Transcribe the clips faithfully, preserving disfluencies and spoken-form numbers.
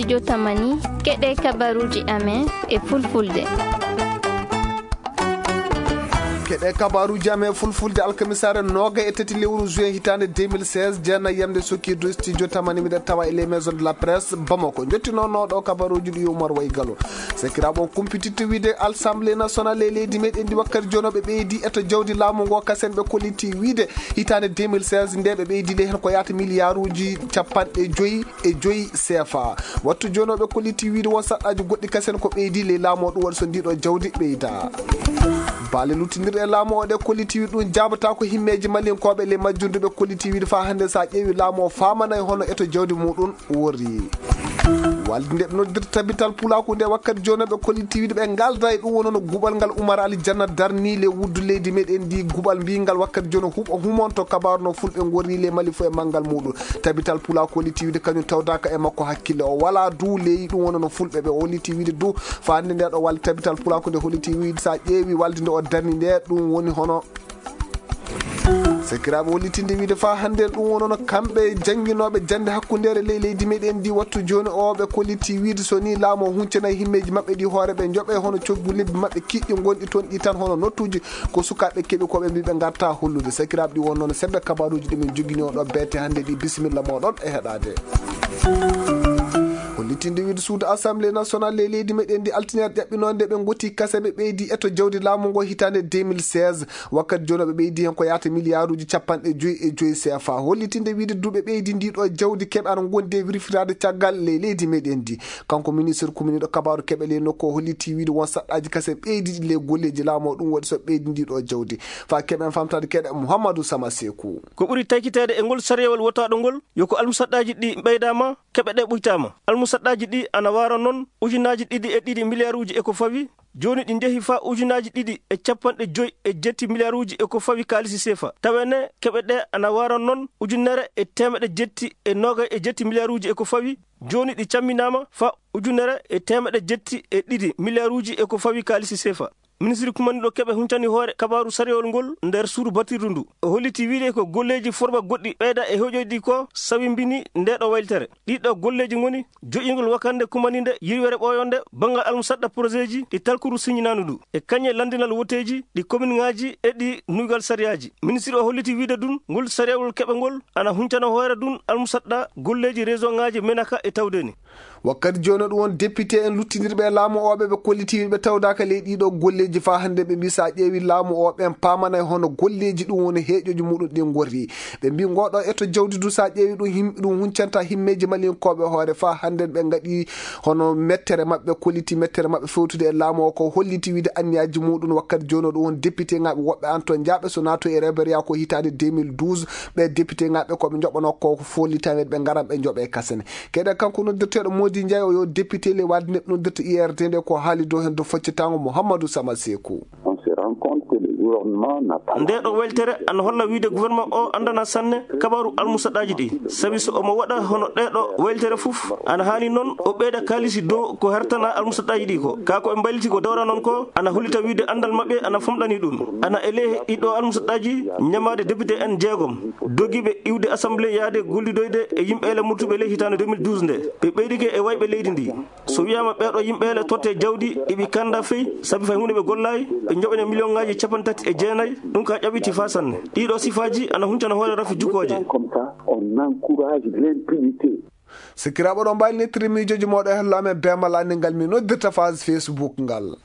Jotamani, keɗe kabaruuji amen e fulfulde. Keɗe kabaruuji amen e fulfulde alkamisaare nooga e tati lewru juin hitaande deux mille seize, jeenayi yamde sokki du studio tamani miɗen tawa e les maisons de la presse Bamako. Njottinoono ɗo kabaruuji ɗi Umar Way Galo. Sakiraaɓe, on kumpititte wiide Assemblée nationale e leydi meɗen ndi wakkati jooni ɓe ɓeydi eto jawdi laamu ngo kasen ɓe kolliti wiide hitaande deux mille seize nde ɓe ɓeydi le heen ko yaata miliyaaruuji capanɗe joyi e joyi C F A. Wattu jooni ɓe kolliti wiide won saɗɗaaji goɗɗi kasen ko ɓeydi le laamu o ɗum waɗi so ndiɗo jawdi ɓeyda. Baale luttindirɗe e laamu o ɗe kolliti wiide ɗum jaabata ko himmeeji malinkooɓe le majjunduɓe kolliti wiide faa hannde so a ƴeewi laamu o faamanay hono eto jawdi muɗum worri. Walde nde ɓe noddirta tabital pulaaku nde wakkati jooni ɓe kolliti wiide ɓe ngalda e ɗum woni no guɓal ngal Umar Ali Janna darni le wuddu leydi meɗen ndi guɓal mbingal wakkati jooni huɓo humonto kabaru no fulɓe ngorri le Mali fof e manngal muɗum. Tabital pulaaku kolliti wiide kañum tawdaka e makko hakkille o wala du ley ɗum woni no fulɓe ɓe holliti wiide du faa hannde nde ɗo walde tabital pulaaku nde holliti wiide so a ƴeewi walde nde o darni nde ɗum woni hono Sakiraaɓe, hollitinde wiide faa hannde ɗum wonno kamɓe jannginooɓe jannde hakkundeere ley leydi meɗen ndi wattu jooni o ɓe kolliti wiide so ni laamu o huncanaay himmeeji maɓɓe ɗi hoore ɓe njoɓe hono coggu lebbi maɓɓe kiɗɗi ngonɗi toon ɗi tan hono nottuuji ko sukaaɓe keɓi ko ɓe mbi ɓe ngarta hollude. Sakiraaɓe, ɗi won noon sembe kabaruuji ɗi min jogini on ɗo beete hannde ɗi. Bisimilla mooɗon e heɗaade. Hollitinde wiide suudu Assemblée nationale ley leydi meɗen ndi altine ƴaɓɓinoonde ɓe ngoti kase ɓe ɓeydi eto jawdi laamu ngo hitaande deux mille seize. Wakkati jooni ɓe ɓeydi heen ko yaata miliyaaruuji capanɗe joyi e joyi C F A. Hollitinde wiide duuɓi ɓeydi ndi ɗo jawdi keɓe ana ngondi e wirfitaade caggal ley leydi meɗen ndi. Kanko ministre kuminiiɗo kabaaru keɓe ley nokku o holliti wiide won saɗɗaaji kase ɓeydi ɗi ley golleeji laamu o ɗum waɗi so ɓeydi ndi ɗo jawdi. Faa keɓen famtaade keɗe Mouhamadou Sama Sekou. Ko ɓuri taykiteede e ngol sariyawol wotaaɗo ngol yo ko almusaɗɗaaji ɗi ɓeydaama, keɓe ɗe ɓuytaama. Almusaɗɗaaji ɗi ana waara noon ujunaaji ɗiɗi e ɗiɗi miliyaaruuji e ko fawi. Jooni ɗi njehi faa ujunaaji ɗiɗi e capanɗe joyi e jetti miliyaaruuji e ko fawi kaalisi seefa. Tawene keɓe ɗe ana waara noon ujunere e teemeɗe jetti e noogay e jetti miliyaaruuji e ko fawi. Jooni ɗi camminaama faa ujunere e teemeɗe jetti e ɗiɗi miliyaaruuji e ko fawi kaalisi seefa. Ministiri kumaniiɗo keɓe huncani hoore kabaaru sariyawol ngol nder suudu batirdu ndu. O holliti wiide ko golleeji forba goɗɗi ɓeyda e hoƴoyɗi ko sawimbini nde ɗo waylitere. Ɗiɗo golleeji ngoni joƴƴingol wakande kumaninde yirwere ɓooyonde banngal almusaɗɗa projetji ɗi talkuru siñinaandu ndu e kañe lanndinal woteeji ɗi kominŋaaji e ɗi nuygal sariyaaji. Ministiri o holliti wiide ɗum ngol sariyawol keɓe ngol ana huncana hoore ɗum almusaɗɗa golleeji région ŋaaji menaka e tawdeni. Wakkati jooni ɗum won député en luttindirɓe e laamu o ɓe ɓe kolliti ɓe tawdaaka ley ɗiɗo golleeji faa hannde ɓe mbi so a ƴeewi laamu o ɓen paamanay hono golleeji ɗum woni heeƴoji muɗum ɗin ngorri. Ɓe mbi ngoɗo eto jawdi du so a ƴeewi ɗum him-, ɗum huncanta himmeeji malinkooɓe hoore faa hannde ɓe ngaɗi hono mettere maɓɓe kolliti mettere maɓɓe fewtude e laamu o ko holliti wiide anniyaaji muɗum wakkati jooni ɗum won député ŋaaɓe woɓɓe an to njaaɓe so naato e reberiya ko hitaande deux mille douze ɓe député ŋaaɓe ko ɓe njoɓanoo ko follitameede ɓe ngaran ɓe njoɓe kasane. Keɗe kanko noddirteeɗo Modi Ndiaye o yo député le wadde neɗɗo noddirta I R D nde ko haali dow heen dow faccitango Mouhamadou Sama Sekou. On se rend compte que le gouvernement n'a pas nde ɗo weltere ana holla wiide gouvernement o anndana sanne kabaru almusaɗaaji ɗi. Sabi so omo waɗa hono ɗe ɗo weltere fof ana haani noon o ɓeyda kaalisi dow ko hertana almusaɗaaji ɗi ko. Kaa ko ɓe mbayliti ko dowra noon ko ana hollita wiide anndal maɓɓe ana famɗani ɗum. Ana e ley ɗiɗo almusaɗaaji ñamaade député en jeegom dogiiɓe iwde assemblée yaade gollidoyde e yimɓe ele murtuɓe ley hitaande deux mille douze nde. Ɓe ɓeydike e wayɓe leydi ndi. So wiyaama ɓeeɗo yimɓe ele totte jawdi, eɓi kanda fey, sabi fay huunde ɓe gollaay, ɓe njoɓene miliyonŋaaji capanɗe tati e jeenayi, ɗum ka ƴaɓɓiti faa sanne. Ɗiɗo sifaaji ana huncana hoore rafi jukooje. Comme ça, on encourage l'impunité. Sikkiraaɓe ɗo mbaali nettiri miijooji mooɗo e hello amen beemal anndi ngal mi noddirta phase Facebook ngal.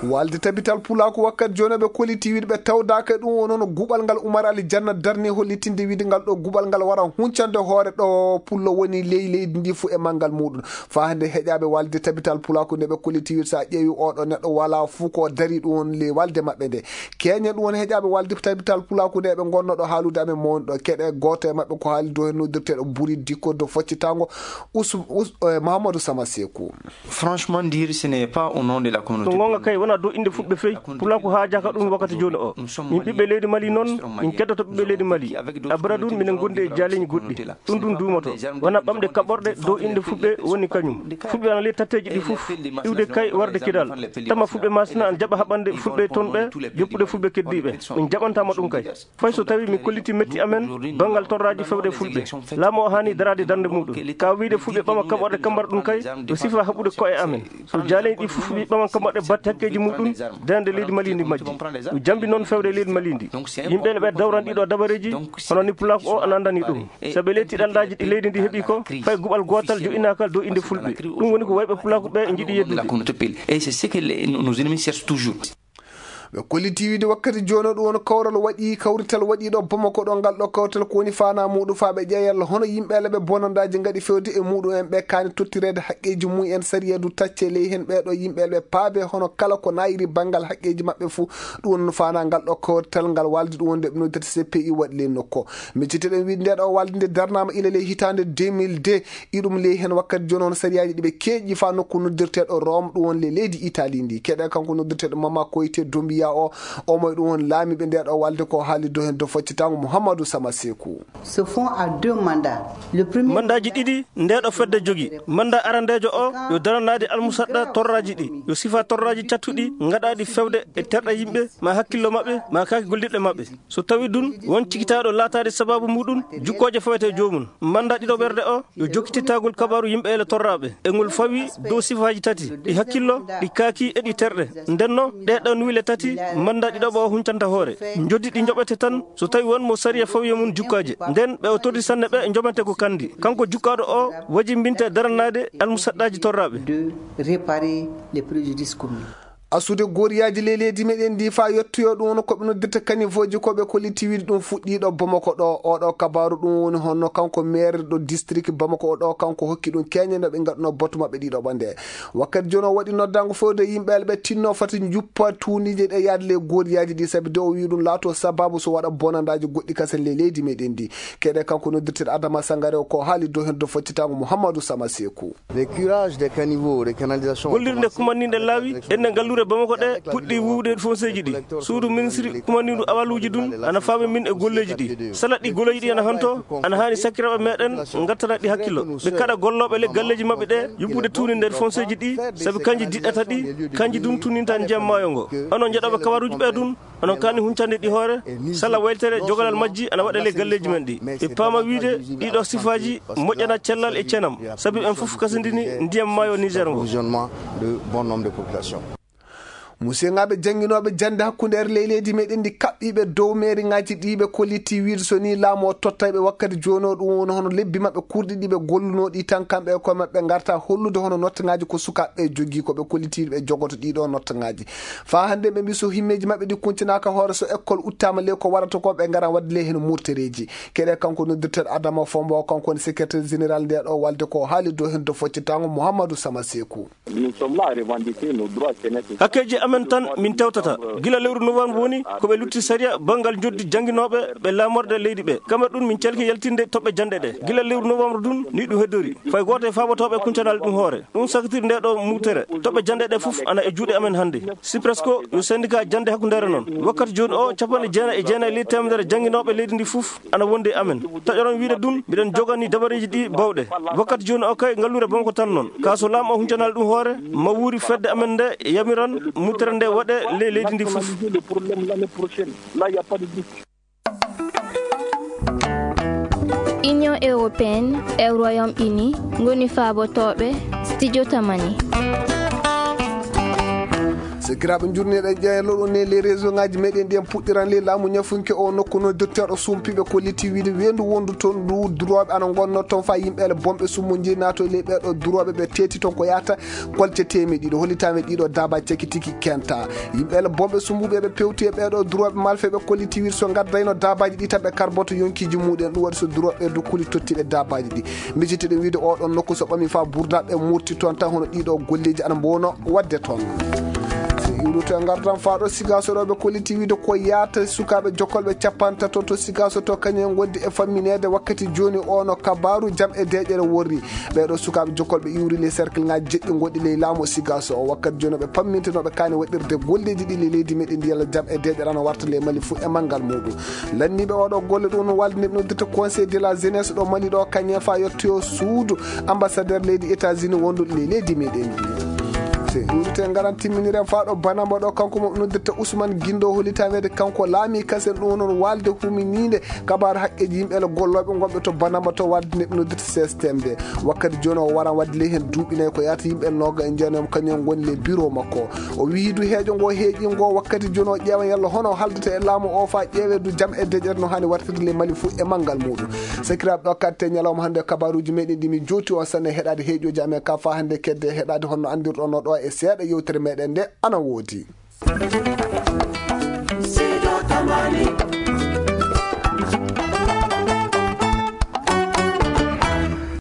Walde tabital pulaaku wakkati jooni ɓe kolliti wiide ɓe tawdaaka e ɗum o noon guɓal ngal Umar Ali Janna darni hollitinde wiide ngal ɗo guɓal ngal wara huncande hoore ɗo pullo woni ley leydi ndi fuu e manngal muɗum. Faa hannde heƴaaɓe walde tabital pulaaku nde ɓe kolliti wiide so a ƴeewi oɗo neɗɗo wala fuu ko dari ɗum won ley walde maɓɓe nde. Keñen ɗum won heƴaaɓe walde tabital pulaaku nde ɓe ngonno ɗo haalude amen mawni ɗo keɗe gooto e maɓɓe ko haali dow heen noddirteeɗo Buri Dikko dow foccitango Us-, Us-, eh, Mahamadou Sama Sekou. Franchement dire, ce n'est pas au nom de la communauté. Ko goonga kay, Dow innde fulɓe fey, pulaaku haajaaka ɗum wakkati jooni o. Min ɓiɓɓe leydi Mali noon, min keddoto ɓiɓɓe leydi Mali. Abara ɗum, minen ngondi e jaaleeji goɗɗi. Ɗum ɗum duumoto. Wona ɓamɗe kaɓorɗe dow innde fulɓe woni kañum. Fulɓe ana ley tatteeji ɗi fof, iwde kay warde Kidal. Tama fulɓe Masina ana jaɓa haɓande fulɓe toon ɓe, joppude fulɓe keddiiɓe. Min jaɓantaama ɗum kay. Fay so tawi min kolliti metti amen, banngal torraaji fewde fulɓe. Laamu o haani daraade darnde muɗum. Ka wiyde fulɓe ɓama kaɓorɗe kambar ɗum kay, ko sifa haɓude ko'e amen. So jaaleeji ɗi fof ɓe ɓama kambar ɗe batte hakkeeji muɗum, darnde leydi Mali ndi majji. Ɗum jambi noon fewde leydi Mali ndi. Yimɓe ɓe dawran ɗiɗo dabareeji, hono ni pulaaku o ana anndani ɗum. Sabu ley tiɗallaaji ɗi leydi ndi heɓi ko, fay guɓal gootal jo'inaaka dow innde fulɓe. Ɗum woni ko wayɓe pulaaku ɓe njiɗi yeddude. Et c'est ce que les- nos ennemis cherchent toujours. Ɓe kolliti wiide wakkati jooni o ɗum woni kawral waɗi, kawrital waɗiiɗo Bamako ɗo, ngal ɗo kawrital ko woni faanaa muɗum faa ɓe ƴeewa yalla hono yimɓe ɓe bonandaaji ngaɗi fewde e muɗum en ɓe kaani tottireede haqqeeji mum en sariya du tacce ley heen ɓee ɗo yimɓe ɓe paabe hono kala ko naayiri banngal haqqeeji maɓɓe fuu. Ɗum woni faanaa ngal ɗo kawrital ngal waaldi ɗum wonde ɓe noddata C P I waɗi ley nokku. Micciteɗen wiide nde ɗo waaldi nde darnaama ila ley hitaande deux mille deux. Iɗum ley heen wakkati jooni on sariyaaji ɗi ɓe keeƴi faa nokku noddirteeɗo Rome, ɗum woni le leydi Italie ndi. Keɗe kanko noddirteeɗo Mama Koyte Dombiya o, omo e ɗum woni laamiiɓe nde ɗo waalde ko haali dow heen dow foccitaango Mouhamadou Sama Sekou. Se font à deux mandats. Le premier Mandaaji ɗiɗi nde ɗo fedde jogi. Mandat arandeejo o yo daranaade almusaɗɗa torraaji ɗi, yo sifa torraaji cattuɗi ngaɗaaɗi fewde e terɗe yimɓe, ma hakkillo maɓɓe, ma kaaki gollirɗe maɓɓe. So tawi ɗum won cikitaaɗo laataade sababu muɗum, jukkooje fawete joomum. Mandat ɗiɗo ɓerde o yo jokkititagol kabaaru yimɓe ele torraaɓe. E ngol fawi dow sifaaji tati, ɗi hakkillo, ɗi kaaki e ɗi terɗe. Ndenno, ɗee ɗoo nuwile tati, mandat ɗiɗo o huncanta hoore. Njoddi ɗi njoɓete tan, so tawi won mo sariya fawi e mum jukkaaje. Nden ɓe o torri sanne ɓe njoɓante ko kandi. Kanko jukkaaɗo o wajimbinte daranaade almusaɗɗaaji torraaɓe. De réparer les préjudices commis. Asude goriyaaji ley leydi meɗen ndi faa yettoyoo ɗum woni ko ɓe noddirta kanifooji ko ɓe kolliti wiide ɗum fuɗɗiiɗo Bamako ɗo. Oɗo kabaaru ɗum woni honno kanko maire ɗo district Bamako o ɗo, kanko hokki ɗum keeñe no ɓe ngaɗuno batu maɓɓe ɗiɗo ɓande. Wakkati jooni o waɗi noddaango fewde yimɓe ɓe tinno fati njuppa tuundiije ɗe yaade ley goriyaaji ɗi, sabi de o wii ɗum laato sababu so waɗa bonandaaji goɗɗi kasen ley leydi meɗen ndi. Keɗe kanko noddirteeɗo Adama Sangare o ko haali dow heen dow foccitaango Mouhamadou Sama Sekou. Le curage des caniveaux, des canalisations. Gollirde kumanninɗe laawi enne ngalluure Bamako ɗe puɗɗi wuwde fonseeji ɗi. Suudu ministri kumannindu awaluuji ɗum ana faami min e golleeji ɗi. Salat ɗi golleeji ɗi ana hanto, ana haani sakiraaɓe meɗen ngattana ɗi hakkillo. Ɓe kaɗa gollooɓe le galleeji maɓɓe ɗe yubbude tuuni nder fonseeji ɗi, sabi kanji diɗɗata ɗi, kanji ɗum tuninta ndiyam maayo ngo. Onon njeɗooɓe kabaruuji ɓe ɗum, onon kaani huncande ɗi hoore, sala weltere jogalal majji ana waɗa ley galleeji men ɗi. Ɓe paama wiide ɗiɗo sifaaji moƴƴana cellal e cenam, sabi ɓen fof kasindini ndiyam maayo Niger ngo. Approvisionnement de bon nombre de population. Musiyŋaaɓe jannginooɓe jannde hakkundeere ley leydi meɗen ndi kaɓɓiiɓe dow meeriŋaaji ɗi ɓe kolliti wiide so ni laamu o tottay ɓe wakkati jooni o ɗum woni hono lebbi maɓɓe kurɗi ɗi ɓe gollunoo ɗi tan kamɓe e koye maɓɓe ngarta hollude hono notteŋaaji ko sukaaɓe ɓe jogii ko ɓe kolliti ɓe jogoto ɗiɗo notteŋaaji. Faa hannde ɓe mbii so himmeeji maɓɓe ɗi kuncinaaka hoore, so école uttaama ley ko warata ko, ɓe ngara waɗde ley heen murtereeji. Keɗe kanko noddirteeɗo Adama Fombo, kanko woni secrétaire général nde ɗo walde ko haali dow heen dow foccitaango Mouhamadou Sama Sekou. Nous sommes là à revendiquer nos droits, c'est net. Hakkeeji amen tan min tewtata. Gila lewru novembre woni ko ɓe lutti sariya banngal njoɓdi jannginooɓe ɓe laamorde leydi ɓe. Kamɓe ɗum min calki yaltinde toɓɓe jannde ɗe. Gila lewru novembre ɗum ni ɗum heddori. Fay gooto e faabotooɓe kuncanal ɗum hoore. Ɗum sakitiri nde ɗo mutere. Toɓɓe jannde ɗe fof ana e juuɗe amen hannde. Sipresco yo syndicat jannde hakkundeere noon. Wakkati jooni o, capanɗe jeenayi e jeenayi ley teemedere jannginooɓe leydi ndi fof ana wondi e amen. Taƴoron wiide ɗum, miɗen jogani dabareeji ɗi bawɗe. Wakkati jooni o kay, ngalluure Bamako tan noon. Ka so laamu o huncanal ɗum hoore, ma wuuri fedde amen nde yamiran mutere nde waɗe ley leydi ndi fof. Union européenne e Royaume-Uni ngoni faabotooɓe Studio Tamani. Sakiraaɓe, njurneɗen ƴeeñal ɗo ne les réseau ngaji meɗen ɗi en puɗɗiran ley laamu ñafunke o nokku no docteur o sumpiɓe kolliti wiide weendu wondu toon ndu durooɓe ana ngonno toon fa yimɓe ele bomɓe summo jeyi naato ley ɓeeɗo durooɓe ɓe teeti toon ko yahata kolce teemeɗɗe ɗiɗo. Hollitaama ɗiɗo daabaaji cakitiki kenta. Yimɓe ele bomɓe sumbuɓe ɓe pewti e ɓeeɗo durooɓe malfeɓe kolliti wiide so ngaddayno daabaaji ɗi tan ɓe karboto yonkiiji muɗen. Ɗum waɗi so durooɓe ɓe dokkuli tottiɓe daabaaji ɗi. Miccitiɗen wiide oɗon nokku so ɓami fa burdaɓe murti toon tan hono ɗiɗo golleeji ana mbowno waɗde toon. Iwruto e ngardan faaɗo Sigaso ɗo ɓe kolliti wiide ko yaata sukaaɓe jokkolɓe capantato to Sigaso to kañum en ngondi e fammineede wakkati jooni o no kabaaru jam e deeƴere worri. Ɓeeɗo sukaaɓe jokkolɓe iwri ley cercle ngaji jeɗɗi gonɗi ley laamu Sigaso o wakkati jooni ɓe pamminta no ɓe kaani waɗirde golleeji ɗi ley leydi meɗen ndi yalla jam e deeƴere ana warta ley Mali fuu e manngal muɗum. Lanniiɓe oɗo golle ɗum no walde neɓ noddirta Conseil de la Jeunesse ɗo Mali ɗo kañum en fa yettoyo suudu ambassadeur leydi États-Unis wonduɗo ley leydi meɗen ndi. Se ɗuɗite ngaran timminiren faaɗo banamba ɗo kanko mo noddirta Ousmane Guindo holitameede kanko laami kasen ɗum noon walde humininde kabaru haqqeji yimɓe ele gollooɓe gonɓe to banamba to walde neɓ noddirta C S T M D. Wakkati jooni o waran wadde ley heen duuɓi nayi ko yaata yimɓe noga e jeenayam kañum en ngoni ley bureau makko. O wiyi du heeƴo ngo heeƴi ngo wakkati jooni o ƴeewan yalla hono o haldata e laamu o fa ƴeewe du jam e deƴƴere no hani wartirde ley Mali fuu e manngal muɗum. Sakiraaɓe ɗo katte ñalawma hannde kabaruuji meɗen ɗi min jooti on sanne heɗaade heeƴooji amen ka fa hannde kedde heɗaade honno anndirɗon no ɗo e seeɗa yewtere meɗen nde ana woodi.